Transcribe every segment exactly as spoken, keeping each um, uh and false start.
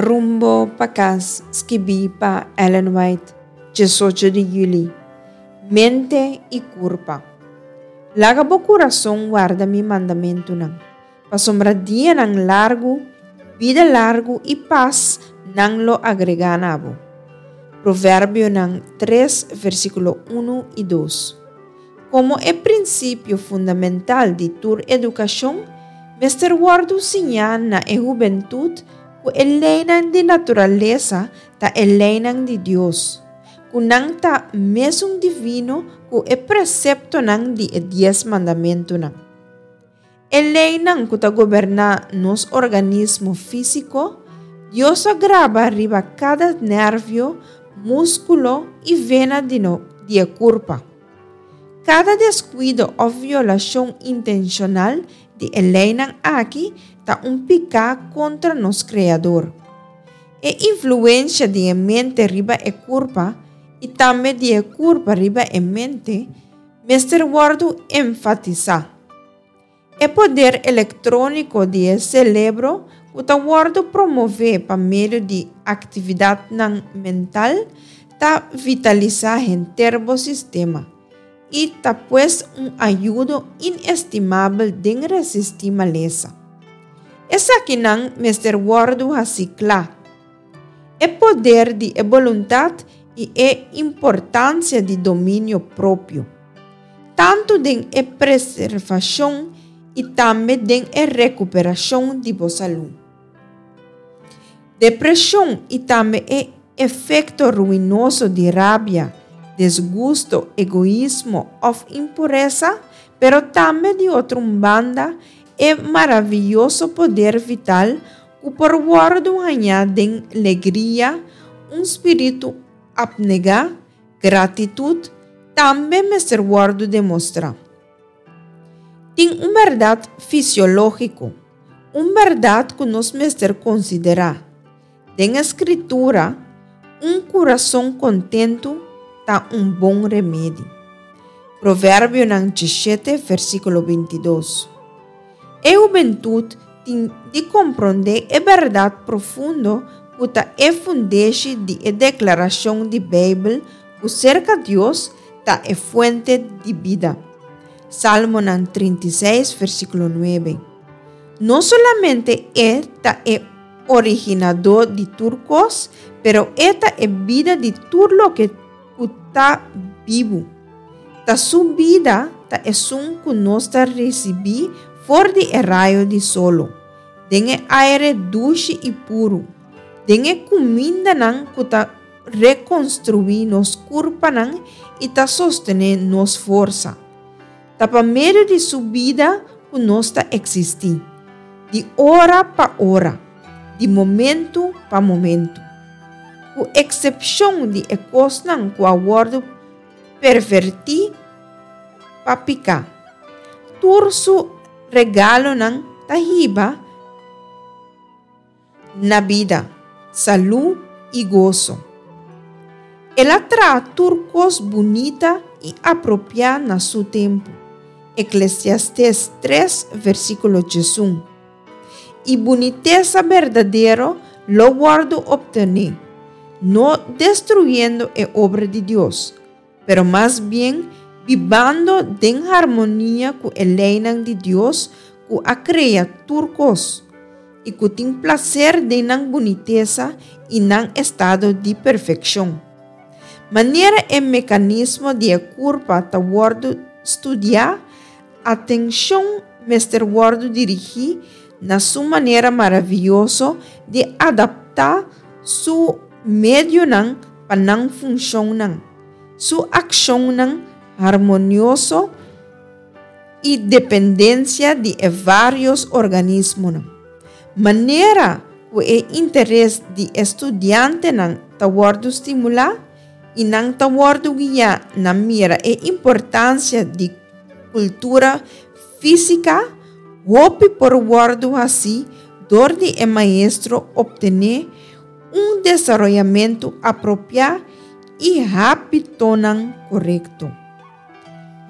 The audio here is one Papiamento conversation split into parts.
Rumbo pa Kas, skibí pa Ellen White, diesocho di yüli. Mente i kurpa. Laga bo kurason warda mi mandamentunan, pasobra dianan largu, bida largu i pas nan lo agregá na bo. Proverbionan tres, versíkulo un i dos. Komo e prinsipio fundamental di tur edukashon, mester wòrdu siñá na e hubentut ku e leinan di naturalesa ta e leinan di Dios, ku nan ta mesun divino ku e preseptonan di e Dies Mandamentunan. E leinan ku ta goberná nos organismo físiko, Dios a graba riba kada nervio, múskulo i vena di no di e kurpa. Kada deskuido òf violashon intenshonal di e leinan aki ta un piká kontra nos Kreador. E influensia di e mente riba e kurpa i tambe di e kurpa riba e mente mester wòrdu enfatisá. E poder elektróniko di e selebro ku ta wòrdu promové pa medio di aktividatnan mental ta vitalisá henter bo sistema i ta pues un ayudo inestimabel den resistí malesa. Esakinan mester wòrdu hasí kla. E poder di e boluntat i e importansia di dominio propio, tantu den e preservashon i tambe den e rekuperashon di bo salú. Depreshon i tambe e efekto ruinoso di rabia, desgusto, egoismo òf impuresa, pero tambe di otro un banda e maravioso poder vital ku por wòrdu hañá den legria, un spiritu apnegá, gratitut, tambe mester wòrdu demostrá. Tin un bèrdat fisiológiko, un bèrdat ku nos mester konsiderá. Den e Skritura, un kurason kontentu ta un bon remedi. Proverbionan diesshete, versíkulo bintidos. E hubentut tin di komprondé e bèrdat profundo ku ta e fundeshi di e deklarashon di Beibel ku serka Dios ta e fuente di bida. Salmonan trinta i seis, versíkulo nuebe. No solamente e ta e originadó di tur kos, pero e ta e bida di tur loke ku ta bibu. Ta su bida ta esun ku nos ta risibí for di e rayo di solo, den e aire dushi i puru, den e kumindanan ku ta rekonstruí nos kurpanan i ta sostené nos forsa. Ta pa medio di su bida ku nos ta eksistí, di ora pa ora, di momentu pa momentu. Ku eksepshon di e kosnan ku a wòrdu pervertí pa piká, tur su regalonan ta hiba na bida, salú i goso. El a traha tur kos bunita i apropiá na su tempu. Eklesiastes tres, versíkulo diesun. I bunitesa berdadero lo wòrdu optené, no destruyendo e obra di Dios, pero mas bien bibando den harmonia ku e leinan di Dios ku a krea tur kos, i ku tin plaser den nan bunitesa i nan estado di perfekshon. Manera e mekanismo di e kurpa ta wòrdu studiá, atenshon mester wòrdu dirigí na su manera maravioso di adaptá su medionan pa nan funshonnan, su akshonnan harmonioso i dependensia di e vários organismonan. Manera ku e interes di e studiantenan ta wòrdu stimulá i nan ta wòrdu guiá na mira e importansia di kultura físika, hopi por wòrdu hasí dor di e maestro optené un desaroyamentu apropiá i hábitonan korekto.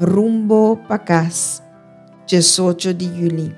Rumbo pa Kas, diesocho di yüli.